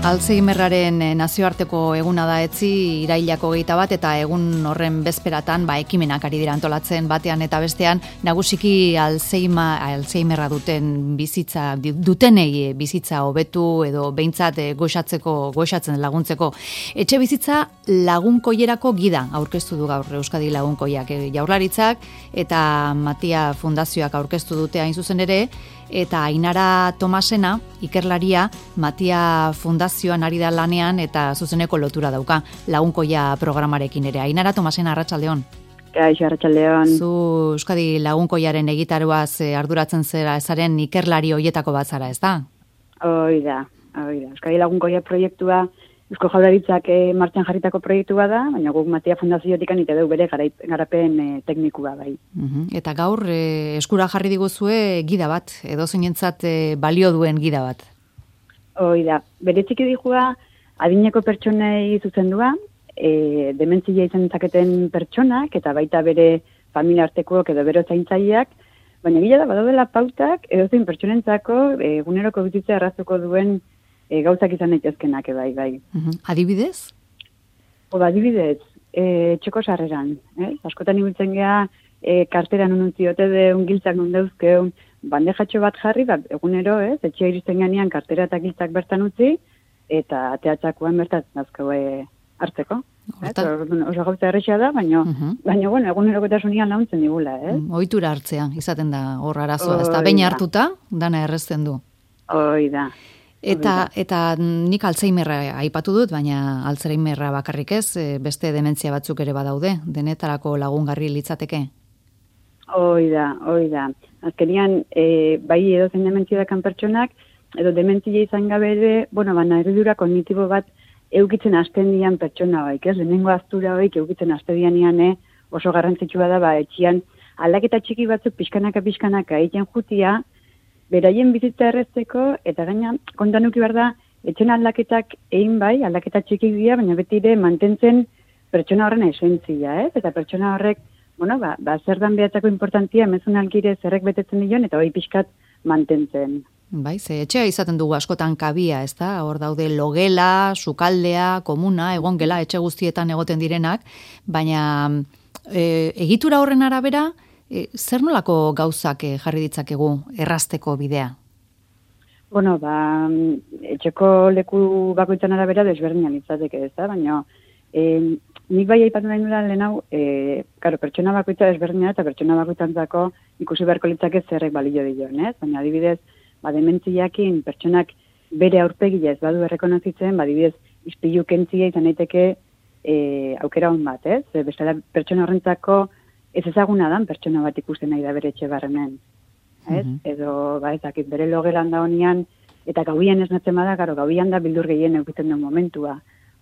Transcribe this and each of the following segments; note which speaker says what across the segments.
Speaker 1: Alzheimerraren nazioarteko eguna da etzi irailako 21 eta egun horren bezperatan ekimenak ari dira antolatzen batean eta bestean nagusiki Alzheimerra dutenei bizitza hobetu edo behintzat goxatzen laguntzeko. Etxe bizitza lagunkoierako gida aurkeztu du gaur Euskadi Lagunkoiak Jaurlaritzak eta Matia Fundazioak aurkeztu dute hain zuzen ere. Eta Ainara Tomasena, ikerlaria, Matia Fundazioan ari da lanean eta zuzeneko lotura dauka Lagunkoia programarekin ere. Ainara Tomasena, arratsaldeon.
Speaker 2: Kaixo, arratsaldeon.
Speaker 1: Zu Euskadi Lagunkoiaren egitaruaz arduratzen zaren ikerlari hoietako bat zara, ez da?
Speaker 2: Hoi da. Euskadi Lagunkoia proiektua Eusko Jaurlaritzak martxan jarritako proiektua da, baina guk Matia Fundaziotik anite deu bere garapen teknikua bai.
Speaker 1: Eta gaur eskura jarri diguzue gida bat, edo zeinentzat balio duen gida bat.
Speaker 2: Hoi da, bere txiki dijua adineko pertsonei zuzendua, dementzia izan zaketen pertsonak, eta baita bere familia artekoak edo bero zaintzaileak, baina gila da badaudela pautak edo zein pertsonentzako eguneroko bizitza erraztuko duen gauzak izan daitezkenak bai.
Speaker 1: Adibidez?
Speaker 2: Adibidez, txeko sarreran. Askotan ibiltzen geha, karteran ununtiote de ungiltzak nundeuzkeun, bandejatxo bat jarri, egunero, etxea iristen ganean kartera eta giltzak bertan utzi, eta ateatxakoan bertan nazkau hartzeko. Oso gauza errexea da, baina egunerokotasunean launtzen digula.
Speaker 1: Ohitura hartzea, izaten da hor arazoa, ez da behin hartuta, dana errezten du.
Speaker 2: Hoi da.
Speaker 1: Eta nik Alzheimerra aipatu dut, baina Alzheimerra bakarrik ez, beste dementzia batzuk ere badaude, denetarako lagungarri litzateke?
Speaker 2: Hoi da. Azkenian, bai edozein dementzia dakan pertsonak, edo dementzia izan gabe ere, narridura kognitibo bat eukitzen hasten dian pertsona baik, lehenengo aztura baik eukitzen hasten dian oso garrantzitsua da, etxian aldaketa txiki batzuk pixkanaka egiten jutia, beraien bizitza errezteko, eta gaina, kontan uki behar da, etxen aldaketak egin bai, aldaketa txikik dira, baina beti ere mantentzen pertsona horren esentzia, eta pertsona horrek, zer dan behatzako importantia, emezun algire zerrek betetzen dion, eta hori pixkat mantentzen.
Speaker 1: Bai, ze etxea izaten dugu askotan kabia, ez da? Hor daude logela, sukaldea, komuna, egongela, etxe guztietan egoten direnak, baina egitura horren arabera, zer nolako gauzak jarri ditzakegu errazteko bidea?
Speaker 2: Etxeko leku bakoitzan arabera desberdinan litzateke, ez da? Baina nik bai aipatu nahi nula lehen hau, pertsona bakoitza desberdina eta pertsona bakoitzantzako ikusi beharko litzake zerrek balio dion, ez? Baina adibidez, dementziakin pertsonak bere aurpegia ez badu errekonozitzen, adibidez, ispilu kentzia izan daiteke aukera hon bat, ez? Bestela pertsona horrentzako ez ezaguna dan pertsona bat ikusten nahi da bere etxe barremen. Edo, ezakit, bere logelan da honian, eta gauian esnatzen bada, gauian da bildur gehien eukiten duen momentua.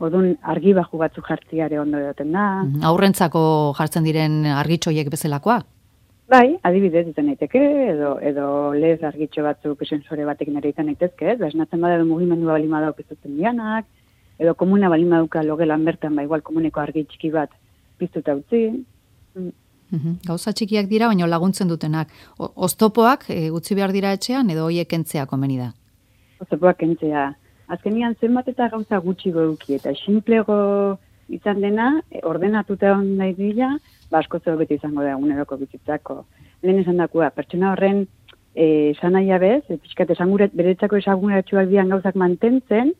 Speaker 2: Orduan, argi baju batzuk jartziare ondo edoten da.
Speaker 1: Aurrentzako jartzen diren argitxoiek bezalakoa?
Speaker 2: Bai, adibidez izan daiteke, edo lez argitxo batzuk sensore batekin ere izan daitezke, esnatzen bada edo mugimendua balima dauk izuten dianak, edo komuna balima dauka logelan bertan, igual komuneko argi txiki bat piztuta utzi.
Speaker 1: Gauza txikiak dira, baina laguntzen dutenak. Oztopoak utzi behar dira etxean, edo hoiek kentzea komeni da?
Speaker 2: Oztopoak kentzea. Azkenian zenbat eta gauza gutxi goduki, eta simplego izan dena, ordenatuta nahi dira, asko zeo beti izango da eguneroko bizitzako. Lehen esan dakua, pertsona horren esanaia bez, pixkat beretzako esanguratxuak dian gauzak mantentzen,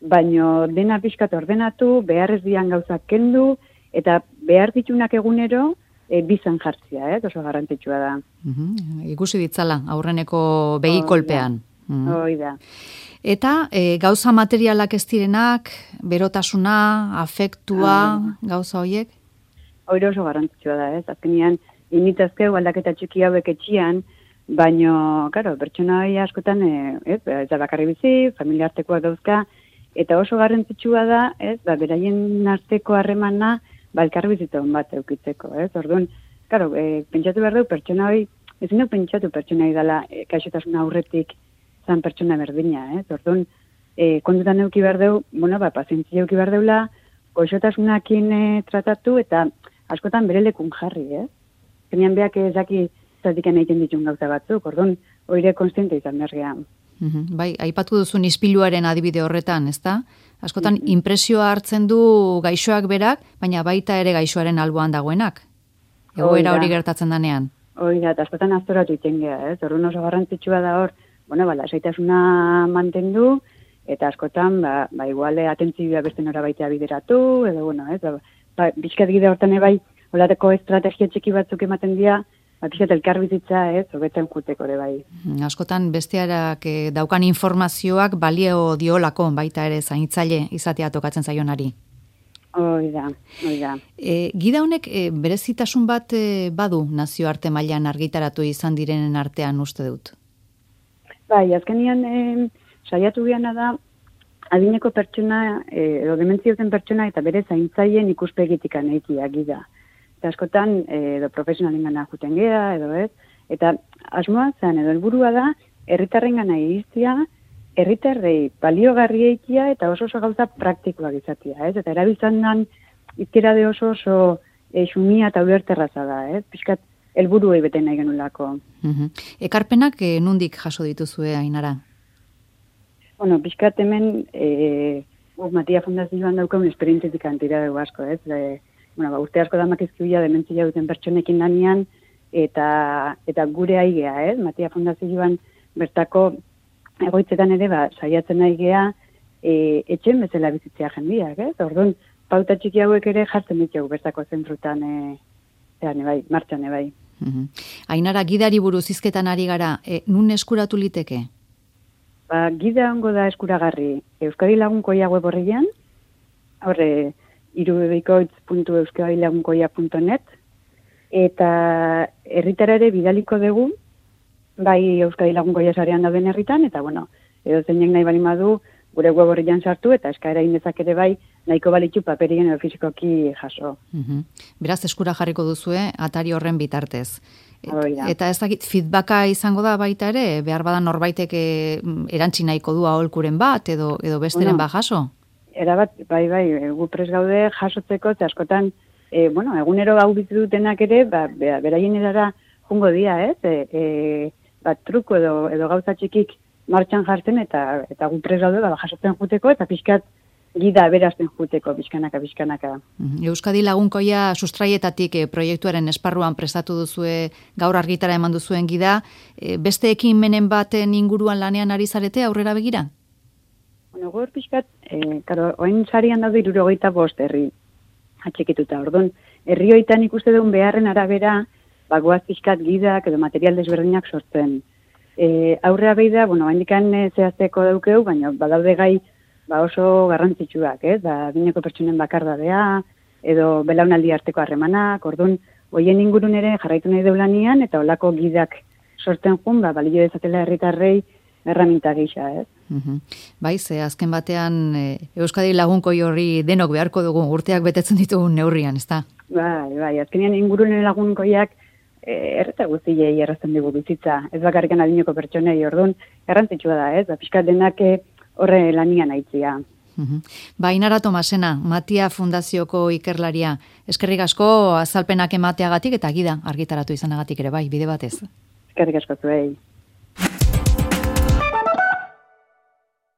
Speaker 2: baino dena pixkat ordenatu, beharrez dian gauzak kendu, eta behar ditunak egunero, bizan jartzia, oso garrantzitsua da.
Speaker 1: Ikusi ditzala, aurreneko behikolpean.
Speaker 2: Hoi da.
Speaker 1: Eta gauza materialak ez direnak, berotasuna, afektua, gauza horiek?
Speaker 2: Hori oso garrantzitsua da, azkenean, initazkeu aldaketa txiki hauek etxian, baino, pertsona hori askotan, ez da bakarri bizi, familia artekoak dauzka, eta oso garrantzitsua da, beraien arteko harremana, elkarri bizitza hon bat eukitzeko, ez? Orduan, pentsatu behar du pertsona hori, ezin duk pentsatu pertsona hori dela kaixotasuna aurretik zan pertsona berdina, ez? Orduan, kontutan euki behar du, pazientzia euki behar deula, goxotasunakin tratatu eta askotan bere lekun jarri, ez? Zenean behak ezaki zatikan egiten ditun gauza batzuk, orduan, oire konstiente izan behar gehan.
Speaker 1: Bai, aipatu duzun ispiluaren adibide horretan, ezta? Askotan inpresioa hartzen du gaixoak berak, baina baita ere gaixoaren alboan dagoenak. Egoera hori gertatzen danean.
Speaker 2: Hoi da, eta askotan aztoratu iten geha, ez? Horren oso garrantzitsua da hor, lasaitasuna mantendu, eta askotan, iguale atentzioa beste nora baitea bideratu, edo, ez? Bizkat gide hortan ebai, holateko estrategia txiki batzuk ematen dira, bizkat elkar bizitza, ez? Hobetzen juteko ere bai.
Speaker 1: Askotan bestearak daukan informazioak balio diolako baita ere zaintzaile izatea tokatzen zaionari.
Speaker 2: Hoi da.
Speaker 1: Gida honek berezitasun bat badu nazioarte mailan argitaratu izan direnen artean uste dut?
Speaker 2: Bai, azkenian saiatu geana da adineko pertsona, edo dementziozen pertsona eta bere zaintzaileen ikuspegitik anaikia gida. Eta askotan, edo profesionalen gana juten geha, edo ez, eta asmoa zen, edo helburua da, herritarren gana iriztia, herritarrei baliogarri eikia eta oso gauza praktikoak izatea, ez? Eta erabiltzen dan izkera de oso xumia eta uberterraza da, ez? Piskat helburuei bete nahi genulako.
Speaker 1: Ekarpenak nundik jaso dituzue, Ainara?
Speaker 2: Piskat hemen Matia Fundazioan daukaun esperientzitik antira dugu asko, ez? Urte asko damak izkiuia dementzia duten pertsonekin danean, eta gure aigea, ez? Matia Fundazioan bertako egoitzetan ere, saiatzen nahi geha, etxen bezala bizitzea jendiak, ez? Orduan, pauta txiki hauek ere jartzen ditugu bertako zentrutan, martxan ebai.
Speaker 1: Ainara, gidari buruz hizketan ari gara, nun eskuratu liteke?
Speaker 2: Gida ongo da eskuragarri Euskadi Lagunkoia web horrian, horre, irubebikoitz.euskadilagunkoia.net, eta herritarare bidaliko dugu, bai Euskadi Lagunkoia sarean dauden herritan, eta edo zeinek nahi bali madu, gure web horrian sartu, eta eskaera indezak ere bai, nahiko balitzu paperien edo fizikoki jaso.
Speaker 1: Beraz, eskura jarriko duzue, atari horren bitartez. Eta ez dakit, feedbacka izango da baita ere, behar badan norbaitek erantzi nahiko du aholkuren bat, edo besteren bat jaso?
Speaker 2: Erabat, bai, gu pres gaude jasotzeko, eta askotan, egunero hau bizi dutenak ere, beraien erara jungo dia, ez? Truko edo gauza txikik martxan jartzen, eta gu pres gaude, jasotzen juteko, eta pixkat gida berazten juteko, pixkanaka.
Speaker 1: Euskadi Lagunkoia sustraietatik proiektuaren esparruan prestatu duzue, gaur argitara eman duzuen gida, beste ekimenen baten inguruan lanean ari zarete aurrera begira?
Speaker 2: Gaur pixkat, oin sarian daude 75 herri atxikituta. Orduan, herri hoitan ikuste duen beharren arabera, goaz pixkat gidak edo material desberdinak sortzen. Aurrea behi da, handikan zehazteko daukeu, baina badaude gai oso garrantzitsuak, ez? Bineko pertsonen bakardadea, edo belaunaldi arteko harremanak, orduan, hoien ingurun ere jarraitu nahi deulanian, eta olako gidak sortzen jun, balio dezatela herritarrei erraminta gisa, ez?
Speaker 1: Bai, ze azken batean Euskadi Lagunkoi horri denok beharko dugu urteak betetzen ditugun neurrian, ezta?
Speaker 2: Bai, azkenean ingurunen lagunkoiak erreta guztiei errazten dugu bizitza, ez bakarrikan adineko pertsonei, orduan, garrantzitsua da, ez? Pixkat denak horre lanian aitzia.
Speaker 1: Ainara Tomasena, Matia Fundazioko ikerlaria, eskerrik asko azalpenak emateagatik eta gida argitaratu izanagatik ere bai, bide batez.
Speaker 2: Eskerrik asko zuei.